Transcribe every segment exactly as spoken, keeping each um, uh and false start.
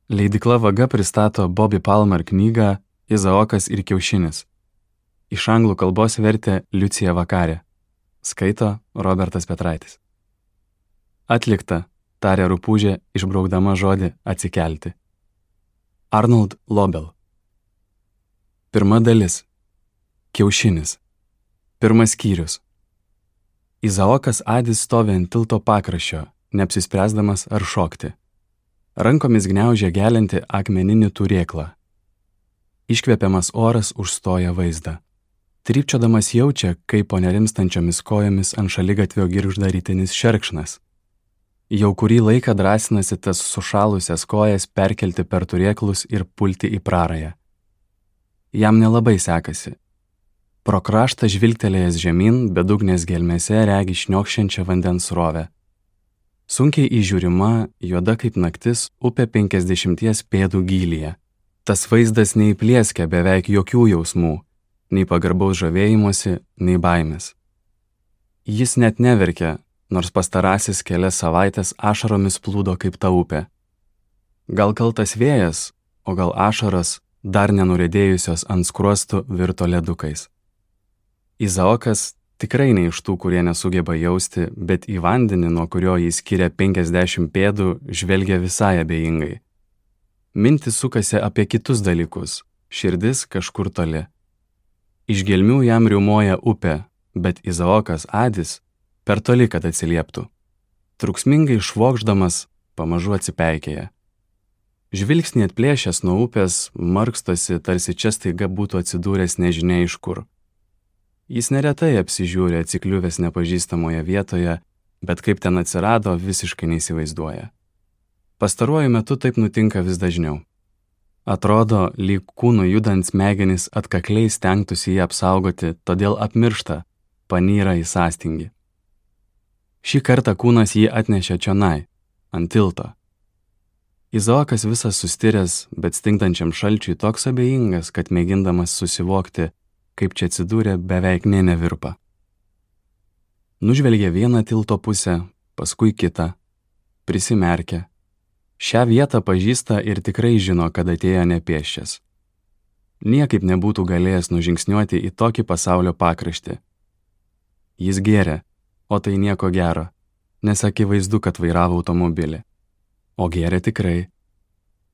Leidykla Vaga pristato Bobby Palmer knygą Izaokas ir kiaušinis. Iš anglų kalbos vertė Liucija Vakarė. Skaito Robertas Petraitis. Atlikta, tarė Rupūžė, išbraukdama žodį atsikelti. Arnold Lobel. Pirma dalis. Kiaušinis. Pirmas skyrius. Izaokas Adis stovi ant tilto pakraščio, neapsispręsdamas ar šokti. Rankomis gniaužia gelianti akmeninį turėklą. Iškvepiamas oras užstoja vaizdą. Trypčiodamas jaučia, kaip po nerimstančiomis kojomis ant šaligatvio girgžda rytinis šerkšnas. Jau kurį laiką drąsinasi tas sušalusias kojas perkelti per turėklus ir pulti į prarają. Jam nelabai sekasi. Pro kraštą žvilgtelėjęs žemyn, bedugnės gelmėse regi šniokščiančią vandens srovę. Sunkiai įžiūrima, juoda kaip naktis, upė penkiasdešimties pėdų gylyje. Tas vaizdas neįplėskia beveik jokių jausmų, nei pagarbaus žavėjimosi, nei baimės. Jis net neverkia, nors pastarasis kelias savaitės ašaromis plūdo kaip ta upė. Gal kaltas vėjas, o gal ašaros, dar nenurėdėjusios ant skruostų, virto ledukais. Izaokas tikrai ne iš tų, kurie nesugeba jausti, bet į vandenį, nuo kurio jis skiria penkiasdešimt pėdų, žvelgia visai abejingai. Mintis sukasi apie kitus dalykus, širdis kažkur toli. Iš gelmių jam riaumoja upė, bet Izaokas Adis per toli, kad atsilieptų. Truksmingai švokšdamas, pamažu atsipeikėja. Žvilgsnį atplėšęs nuo upės, markstosi, tarsi čia staiga būtų atsidūręs nežinia iš kur. Jis neretai apsižiūri atsikliuvęs nepažįstamoje vietoje, bet kaip ten atsirado, visiškai neįsivaizduoja. Pastaruoju metu taip nutinka vis dažniau. Atrodo, lyg kūnų judant smegenys atkakliai stengtųsi jį apsaugoti, todėl apmiršta, panyra į sąstingį. Šį kartą kūnas jį atnešė čionai, ant tilto. Izaokas visas sustiręs, bet stingdančiam šalčiui toks abejingas, kad mėgindamas susivokti, kaip čia atsidūrė, beveik nė nevirpa. Nužvelgė vieną tilto pusę, paskui kitą, prisimerkė. Šią vietą pažįsta ir tikrai žino, kad atėjo nepėsčias. Niekaip nebūtų galėjęs nužingsniuoti į tokį pasaulio pakraštį. Jis gėrė, o tai nieko gero, nes akivaizdu, kad vairavo automobilį. O gėrė tikrai.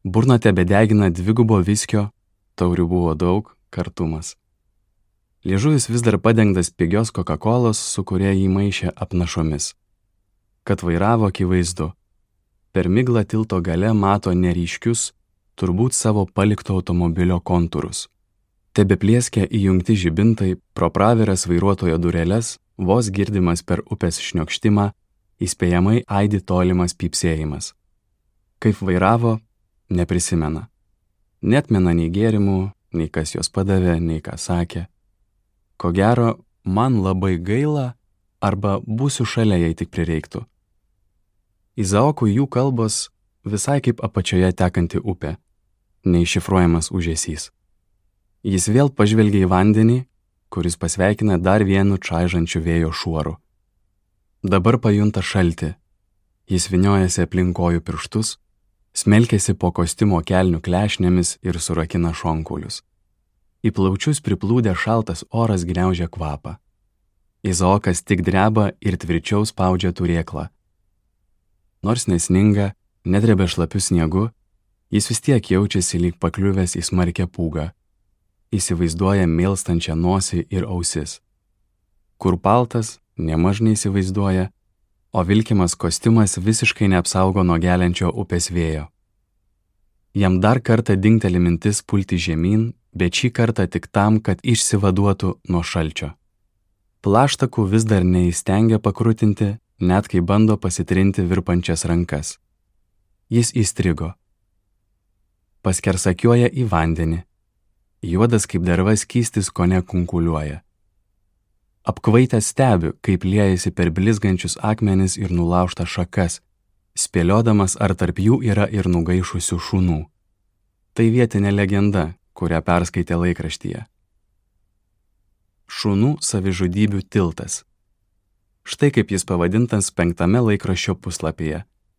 Burna tebedegina dvigubo viskio, taurių buvo daug, kartumas. Liežuvis vis dar padengtas pigios Coca-Colos, su kuria jį maišė apnašomis. Kad vairavo akivaizdu. Per miglą tilto gale mato neryškius, turbūt savo palikto automobilio kontūrus. Tebeplieskia įjungti žibintai, pro praviras vairuotojo dureles, vos girdimas per upės šniokštimą, įspėjamai aidi tolimas pypsėjimas. Kaip vairavo, neprisimena. Netmena nei gėrimų, nei kas juos padavė, nei ką sakė. Ko gero, man labai gaila, arba būsiu šalia, jei tik prireiktų. Izaokui jų kalbos visai kaip apačioje tekanti upė, neiššifruojamas ūžesys. Jis vėl pažvelgia į vandenį, kuris pasveikina dar vienu čaižančiu vėjo šuoru. Dabar pajunta šaltį. Jis vyniojasi aplink kojų pirštus, smelkėsi po kostiumo kelnių klešnėmis ir surakina šonkulius. Į plaučius priplūdė šaltas oras gniaužia kvapą. Izaokas tik dreba ir tvirčiau spaudžia turėklą. Nors nesninga, nedrebia šlapiu sniegu, jis vis tiek jaučiasi lyg pakliuvęs į smarkią pūgą. Įsivaizduoja mėlstančią nosį ir ausis. Kur paltas, nemaž neįsivaizduoja, o vilkimas kostiumas visiškai neapsaugo nuo geliančio upės vėjo. Jam dar kartą dingteli mintis pulti žemyn, bet šį kartą tik tam, kad išsivaduotų nuo šalčio. Plaštakų vis dar neįstengia pakrutinti, net kai bando pasitrinti virpančias rankas. Jis įstrigo. Paskersakiuoja į vandenį. Juodas kaip derva skystis kone kunkuliuoja. Apkvaitęs stebiu, kaip liejasi per blizgančius akmenis ir nulaužtas šakas, spėliodamas, ar tarp jų yra ir nugaišusių šunų. Tai vietinė legenda, kurią perskaitė laikraštyje. Šunų savižudybių tiltas. Štai kaip jis pavadintas penktame laikraščio puslapyje.